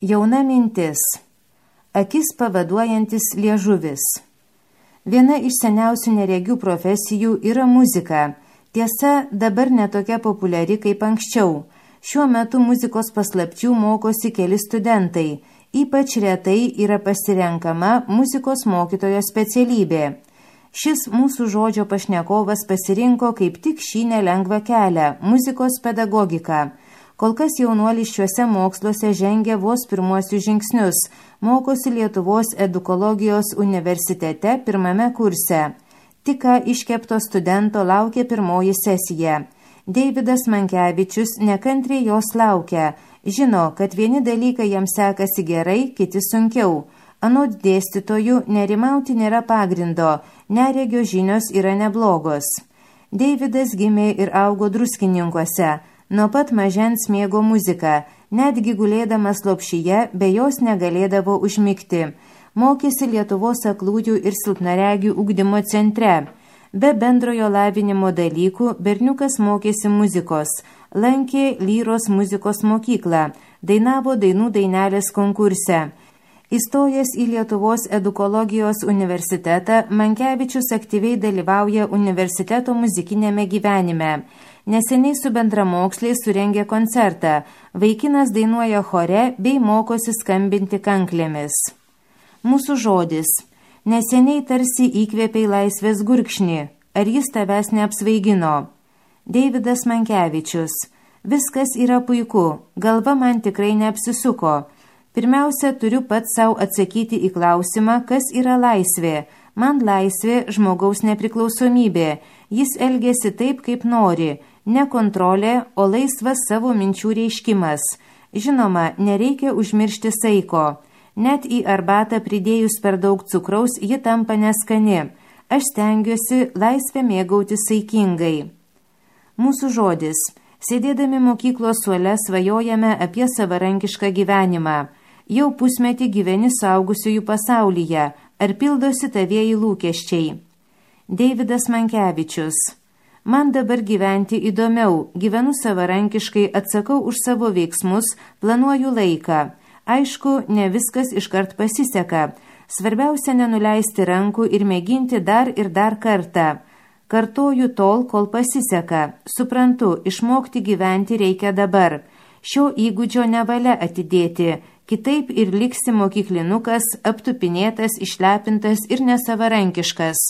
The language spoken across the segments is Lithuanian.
Jauna mintis. Akis pavaduojantis liežuvis. Viena iš seniausių neregių profesijų yra muzika. Tiesa, dabar netokia populiari kaip anksčiau. Šiuo metu muzikos paslapčių mokosi keli studentai. Ypač retai yra pasirenkama muzikos mokytojo specialybė. Šis mūsų žodžio pašnekovas pasirinko kaip tik šį nelengvą kelią – muzikos pedagogiką. Kol kas jaunuolis šiuose moksluose žengia vos pirmuosius žingsnius, mokosi Lietuvos edukologijos universitete pirmame kurse. Tik ką iškepto studento laukia pirmoji sesija. Deividas Mankevičius nekantriai jos laukia. Žino, kad vieni dalykai jam sekasi gerai, kiti sunkiau. Anot dėstytojų nerimauti nėra pagrindo, neregio žinios yra neblogos. Deividas gimė ir augo Druskininkuose. Nuo pat mažens mėgo muziką, netgi gulėdamas lopšyje be jos negalėdavo užmigti. Mokėsi Lietuvos aklųjų ir silpnaregių ugdymo centre. Be bendrojo lavinimo dalykų berniukas mokėsi muzikos, lankė Lyros muzikos mokyklą, dainavo dainų dainelės konkurse. Įstojęs į Lietuvos edukologijos universitetą, Mankevičius aktyviai dalyvauja universiteto muzikinėme gyvenime. Neseniai su bendramoksliais surengė koncertą. Vaikinas dainuoja chore bei mokosi skambinti kanklėmis. Mūsų žodis. Neseniai tarsi įkvėpei laisvės gurkšnį. Ar jis tavęs neapsvaigino? Deividas Mankevičius. Viskas yra puiku. Galva man tikrai neapsisuko. Pirmiausia, turiu pats savo atsakyti į klausimą, kas yra laisvė. Man laisvė žmogaus nepriklausomybė. Jis elgiasi taip, kaip nori. Ne kontrolė, o laisvas savo minčių reiškimas. Žinoma, nereikia užmiršti saiko. Net į arbatą pridėjus per daug cukraus, ji tampa neskani. Aš stengiuosi laisvę mėgauti saikingai. Mūsų žodis. Sėdėdami mokyklos suole svajojame apie savarankišką gyvenimą. Jau pusmetį gyveni suaugusiųjų pasaulyje. Ar pildosi tavieji lūkesčiai? Deividas Mankevičius. Man dabar gyventi įdomiau, gyvenu savarankiškai, atsakau už savo veiksmus, planuoju laiką. Aišku, ne viskas iškart pasiseka. Svarbiausia nenuleisti rankų ir mėginti dar ir dar kartą. Kartoju tol, kol pasiseka. Suprantu, išmokti gyventi reikia dabar. Šio įgūdžio nevalia atidėti, kitaip ir liksi mokyklinukas, aptupinėtas, išlepintas ir nesavarankiškas.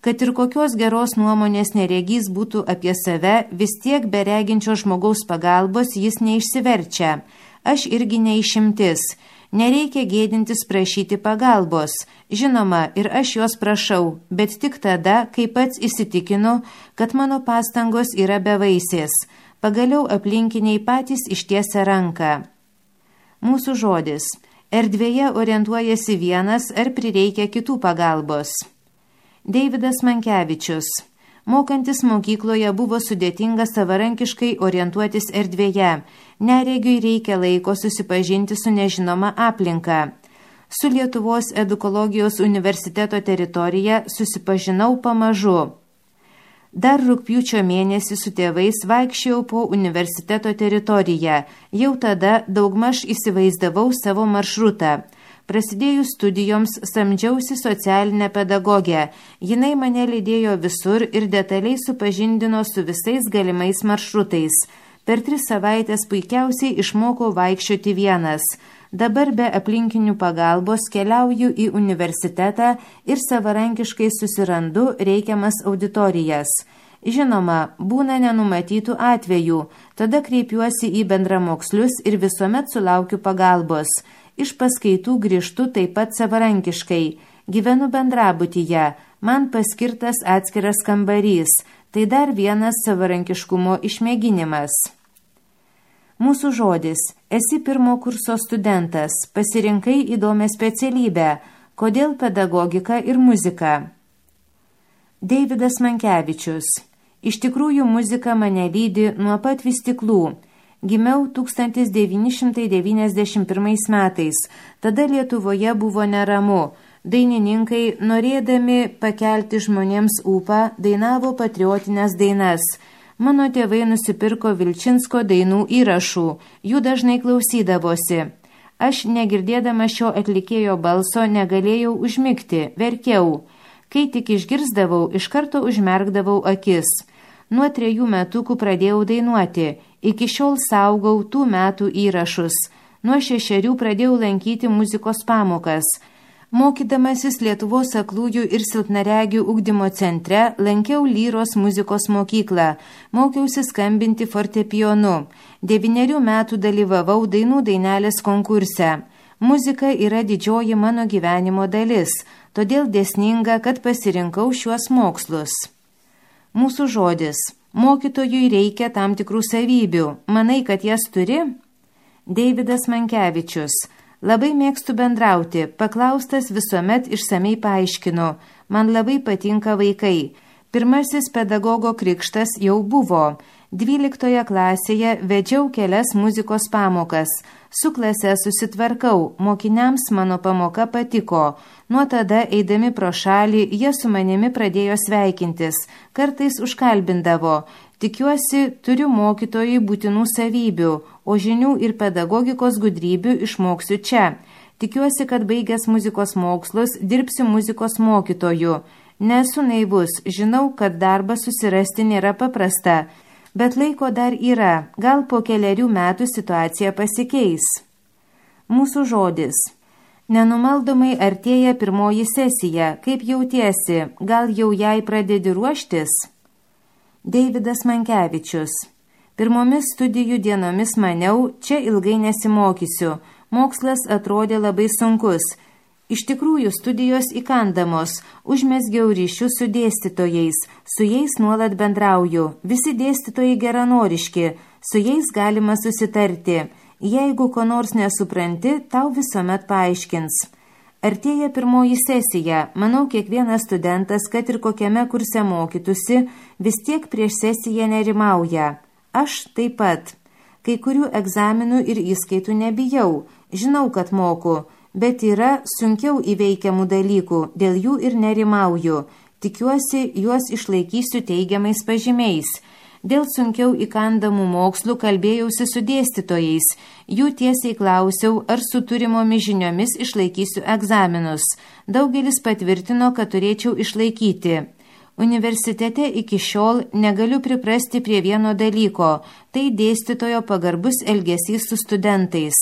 Kad ir kokios geros nuomonės neregys būtų apie save, vis tiek be reginčio žmogaus pagalbos jis neišsiverčia. Aš irgi neišimtis. Nereikia gėdintis prašyti pagalbos. Žinoma, ir aš jos prašau, bet tik tada, kai pats įsitikinu, kad mano pastangos yra bevaisės. Pagaliau aplinkiniai patys ištiesia ranką. Mūsų žodis. Erdvėje orientuojasi vienas ar prireikia kitų pagalbos. Deividas Mankevičius. Mokantis mokykloje buvo sudėtinga savarankiškai orientuotis erdvėje. Neregiui reikia laiko susipažinti su nežinoma aplinka. Su Lietuvos edukologijos universiteto teritorija susipažinau pamažu. Dar rugpjūčio mėnesį su tėvais vaikščiojau po universiteto teritoriją. Jau tada daugmaž įsivaizdavau savo maršrutą. Prasidėjus studijoms samdžiausi socialinę pedagogę. Jinai mane lydėjo visur ir detaliai supažindino su visais galimais maršrutais. Per 3 savaitės puikiausiai išmokau vaikščioti vienas. Dabar be aplinkinių pagalbos keliauju į universitetą ir savarankiškai susirandu reikiamas auditorijas. Žinoma, būna nenumatytų atvejų. Tada kreipiuosi į bendramokslius ir visuomet sulaukiu pagalbos. Iš paskaitų grįžtu taip pat savarankiškai. Gyvenu bendrabutyje. Man paskirtas atskiras kambarys. Tai dar vienas savarankiškumo išmėginimas. Mūsų žodis. Esi pirmo kurso studentas. Pasirinkai įdomią specialybę. Kodėl pedagogika ir muzika? Deividas Mankevičius. Iš tikrųjų muzika mane lydi nuo pat vystyklų. Gimiau 1991 metais. Tada Lietuvoje buvo neramu. Dainininkai, norėdami pakelti žmonėms ūpą, dainavo patriotinės dainas. Mano tėvai nusipirko Vilčinsko dainų įrašų. Jų dažnai klausydavosi. Aš, negirdėdama šio atlikėjo balso, negalėjau užmigti, verkiau. Kai tik išgirsdavau, iš karto užmerkdavau akis. Nuo 3 metukų pradėjau dainuoti, iki šiol saugau tų metų įrašus. Nuo 6 pradėjau lankyti muzikos pamokas. Mokydamasis Lietuvos aklųjų ir silpnaregių ugdymo centre, lankiau lyros muzikos mokyklą, mokiausi skambinti fortepijonu. 9 metų dalyvavau dainų dainelės konkurse. Muzika yra didžioji mano gyvenimo dalis, todėl dėsninga, kad pasirinkau šiuos mokslus. Mūsų žodis. Mokytojui reikia tam tikrų savybių. Manai, kad jas turi? Deividas Mankevičius. Labai mėgstu bendrauti, paklaustas visuomet išsamei paaiškinu. Man labai patinka vaikai. Pirmasis pedagogo krikštas jau buvo. 12 klasėje vedžiau kelias muzikos pamokas. Su klase susitvarkau, mokiniams mano pamoka patiko. Nuo tada, eidami pro šalį, jie su manimi pradėjo sveikintis. Kartais užkalbindavo. Tikiuosi, turiu mokytojui būtinų savybių, o žinių ir pedagogikos gudrybių išmoksiu čia. Tikiuosi, kad baigęs muzikos mokslus dirbsiu muzikos mokytoju. Nesu naivus, žinau, kad darbą susirasti nėra paprasta, bet laiko dar yra, gal po 4 metų situacija pasikeis. Mūsų žodis. Nenumaldomai artėja 1 sesija, kaip jautiesi, gal jau jai pradedi ruoštis? Deividas Mankevičius. Pirmomis studijų dienomis maniau, čia ilgai nesimokysiu. Mokslas atrodė labai sunkus. Iš tikrųjų, studijos įkandamos. Užmesgiau ryšius su dėstytojais. Su jais nuolat bendrauju. Visi dėstytojai geranoriški. Su jais galima susitarti. Jeigu ko nors nesupranti, tau visuomet paaiškins. Artėja 1 sesija. Manau, kiekvienas studentas, kad ir kokiame kurse mokytųsi, vis tiek prieš sesiją nerimauja. Aš taip pat. Kai kurių egzaminų ir įskaitų nebijau. Žinau, kad moku, bet yra sunkiau įveikiamų dalykų, dėl jų ir nerimauju. Tikiuosi, juos išlaikysiu teigiamais pažymiais. Dėl sunkiau įkandamų mokslų kalbėjausi su dėstytojais. Jų tiesiai klausiau, ar su turimomis žiniomis išlaikysiu egzaminus. Daugelis patvirtino, kad turėčiau išlaikyti. Universitete iki šiol negaliu priprasti prie vieno dalyko, tai dėstytojo pagarbus elgesys su studentais.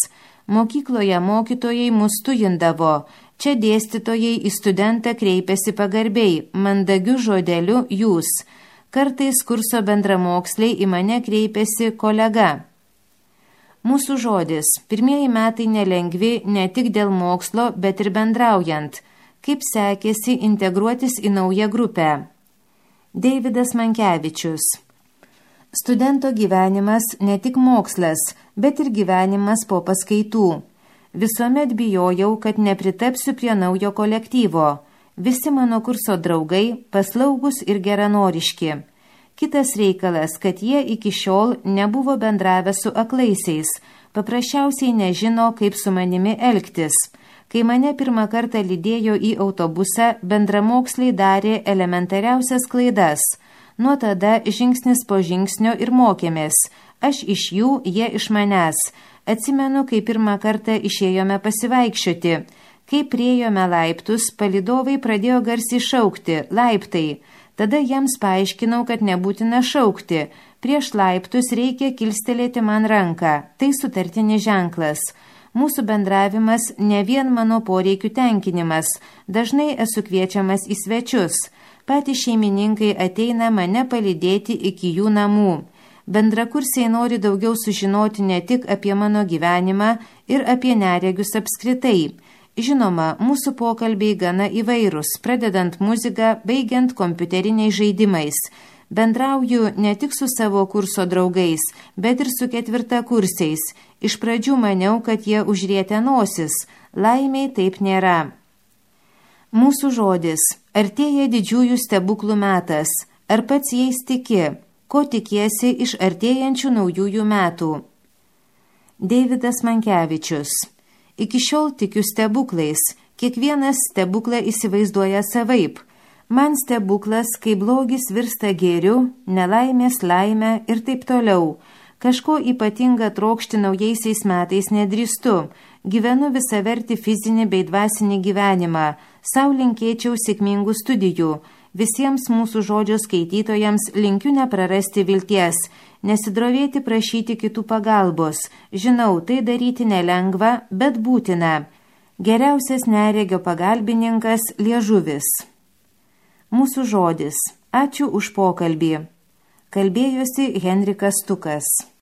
Mokykloje mokytojai mus tujindavo. Čia dėstytojai į studentą kreipiasi pagarbiai, mandagiu žodeliu jūs. Kartais kurso bendramoksliai į mane kreipiasi kolega. Mūsų žodis. 1 metai nelengvi ne tik dėl mokslo, bet ir bendraujant. Kaip sekėsi integruotis į naują grupę? Deividas Mankevičius. Studento gyvenimas ne tik mokslas, bet ir gyvenimas po paskaitų. Visuomet bijojau, kad nepritapsiu prie naujo kolektyvo. Visi mano kurso draugai paslaugus ir geranoriški. Kitas reikalas, kad jie iki šiol nebuvo bendravę su aklaisiais, paprasčiausiai nežino, kaip su manimi elgtis. Kai mane 1 kartą lydėjo į autobusą, bendramoksliai darė elementariausias klaidas. Nuo tada žingsnis po žingsnio ir mokėmės. Aš iš jų, jie iš manęs. Atsimenu, kai 1 kartą išėjome pasivaikščioti. Kai priėjome laiptus, palydovai pradėjo garsiai šaukti, laiptai. Tada jiems paaiškinau, kad nebūtina šaukti. Prieš laiptus reikia kilstelėti man ranką. Tai sutartinis ženklas. Mūsų bendravimas ne vien mano poreikių tenkinimas. Dažnai esu kviečiamas į svečius. Patys šeimininkai ateina mane palydėti iki jų namų. Bendrakursiai nori daugiau sužinoti ne tik apie mano gyvenimą ir apie neregius apskritai. Žinoma, mūsų pokalbiai gana įvairūs, pradedant muziką, baigiant kompiuteriniais žaidimais. Bendrauju ne tik su savo kurso draugais, bet ir su 4-kursiais. Iš pradžių maniau, kad jie užrietę nosis. Laimiai taip nėra. Mūsų žodis. Artėja didžiųjų stebuklų metas. Ar pats jais tiki? Ko tikiesi iš artėjančių naujųjų metų? Deividas Mankevičius. Iki šiol tikiu stebuklais. Kiekvienas stebuklą įsivaizduoja savaip. Man stebuklas, kai blogis virsta gėriu, nelaimės laimę ir taip toliau. Kažko ypatinga trokšti naujaisiais metais nedrįstu. Gyvenu visavertį fizinį bei dvasinį gyvenimą. Sau linkėčiau sėkmingų studijų. Visiems mūsų žodžio skaitytojams linkiu neprarasti vilties, nesidrovėti prašyti kitų pagalbos. Žinau, tai daryti nelengva, bet būtina. Geriausias neregio pagalbininkas liežuvis. Mūsų žodis. Ačiū už pokalbį. Kalbėjosi Henrikas Stukas.